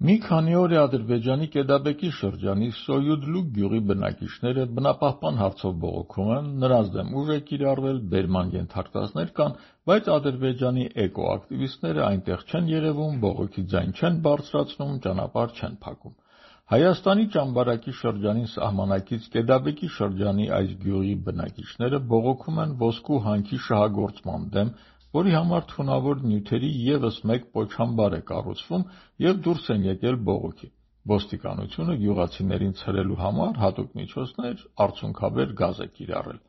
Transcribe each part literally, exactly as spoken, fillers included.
Մի քանի օր է Ադրբեջանի Կեդաբեկի շրջանի Սոյուդլու գյուղի բնակիչները բնապահպան հարցով բողոքում են, նրանց դեմ ուժ է կիրառվել, բերման ենթարկվածներ կան, բայց Ադրբեջանի էկոակտիվիստները այնտեղ չեն երևում, բողոքի ձայն չեն բարձրացնում, ճանապարհ չեն փակում։ Հայաստանի Ճամբարակի շրջանին սահմանակից Կեդաբեկի շրջանի այս գյուղի բնակիչները բողոքում են ոսկու հանքի շահագործման դեմ, որի համար թունավոր նյութերի ևս մեկ պոչամբար է կառուցվում և դուրս են եկել բողոքի։ Ոստիկանությունը գյուղացիներին ցրելու համար հատուկ միջոցներ, արցունքաբեր գազ է կիրառել։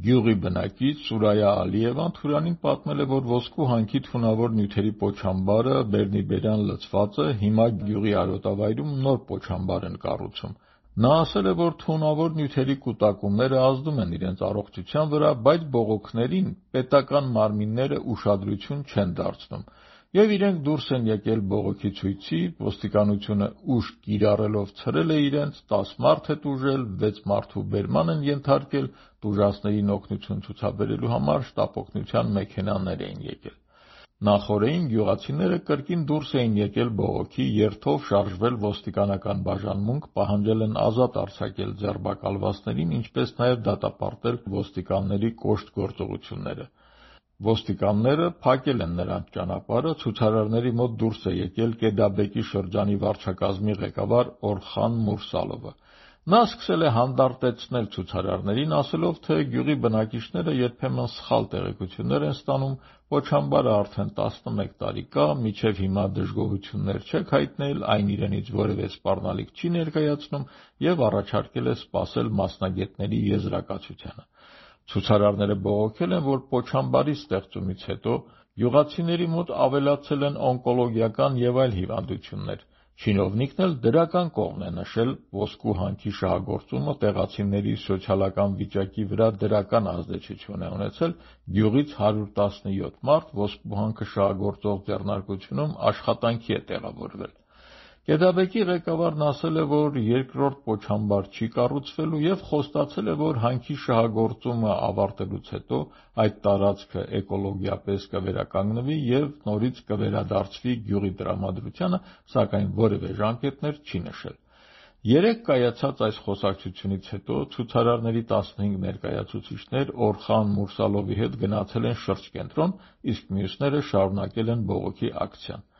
Գյուղի բնակիչ Սուրայա Ալիևան Թուրանին պատմել է, որ ոսկու հանքի թունավոր նյութերի պոչամբարը բերնիբերյան լցված է, հիմա գյուղի արոտավայրում նոր պոչամբար են կառուցում։ Նա ասել է, որ թունավոր նյութերի կուտակումները ազդում են իրենց առողջության վրա, բայց բողոքներին պետական մարմինները ուշադրություն չեն դարձնում, և իրենք դուրս են եկել բողոքի ցույցի, ոստիկանությունը ուժ կիրառելով ցրել է իրենց, տաս մարդ է տուժել, վեց մարդու բերման են ենթարկել, տուժածներին օգնություն ցուցաբերելու համար շտապօգնության մեքենաներ էին եկել։ Նախօրեին գյուղացիները կրկին դուրս էին եկել բողոքի, երթով շարժվել ոստիկանական բաժանմունք, պահանջել են ազատ արձակել ձերբակալվածներին, ինչպես նաև դատապարտել ոստիկանների կոշտ գործողությունները։ Ոստիկանները փակել են նրանց ճանապարհը, ցուցարարների մոտ դուրս է եկել Կեդաբեկի շրջանի վարչակազմի ղեկավար Օրխան Մուրսալովը։ Նա սկսել է հանդարտեցնել ցուցարարներին, ասելով, թե գյուղի բնակիչները երբեմն սխալ տեղեկություններ են ստանում, պոչամբարը արդեն տասնմեկ տարի կա, մինչև հիմա դժգոհություններ չեք հայտնել, այն իրենից որևէ սպառնալիք չի ներկայացնում և առաջարկել է սպասել մասնագետների եզրակացությանը։ Ցուցարարները բողոքել են, որ պոչամբարի ստեղծումից հետո գյուղացիների մոտ ավելացել են օնկոլոգիական և այլ հիվանդություններ։ Չինովնիկն էլ դրական կողմն է նշել ոսկու հանքի շահագործումը տեղացիների սոցիալական վիճակի վրա դրական ազդեցություն է ունեցել, գյուղից հարյուր տասնյոթ մարդ ոսկու հանքը շահագործող ձեռնարկությունում աշխատանքի է տեղավորվել։ Կեդաբեկի ղեկավարն ասել է, որ երկրորդ պոչամբար չի կառուցվելու և խոստացել է, որ հանքի շահագործումը ավարտելուց հետո այդ տարածքը էկոլոգիապես կվերականգնվի և նորից կվերադարձվի գյուղի տրամադրությանը, սակայն որևէ ժամկետներ չի նշել։ Երեկ կայացած այս խոսակցությունից հետո ցուցարարների տասնհինգ ներկայացուցիչներ Օրխան Մուրսալովի հետ գնացել են շրջկենտրոն, իսկ մյուսները շարունակել են բողոքի ակցիան։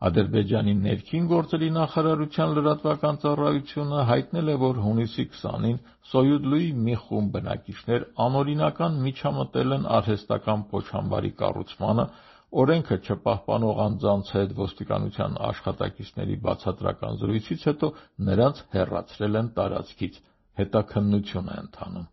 Ադրբեջանի ներքին գործերի նախարարության լրատվական ծառայությունը հայտնել է, որ հունիսի քսանին Սոյուդլուի մի խումբ բնակիչներ անօրինական միջամտել են արհեստական պոչամբարի կառուցմանը, օրենքը չպահպանող անձանց հետ ոստիկանության աշխատակիցների բացատրական զրույցից հետո նրանց հեռացրել են տարածքից։ Հետաքննություն է ընթանում։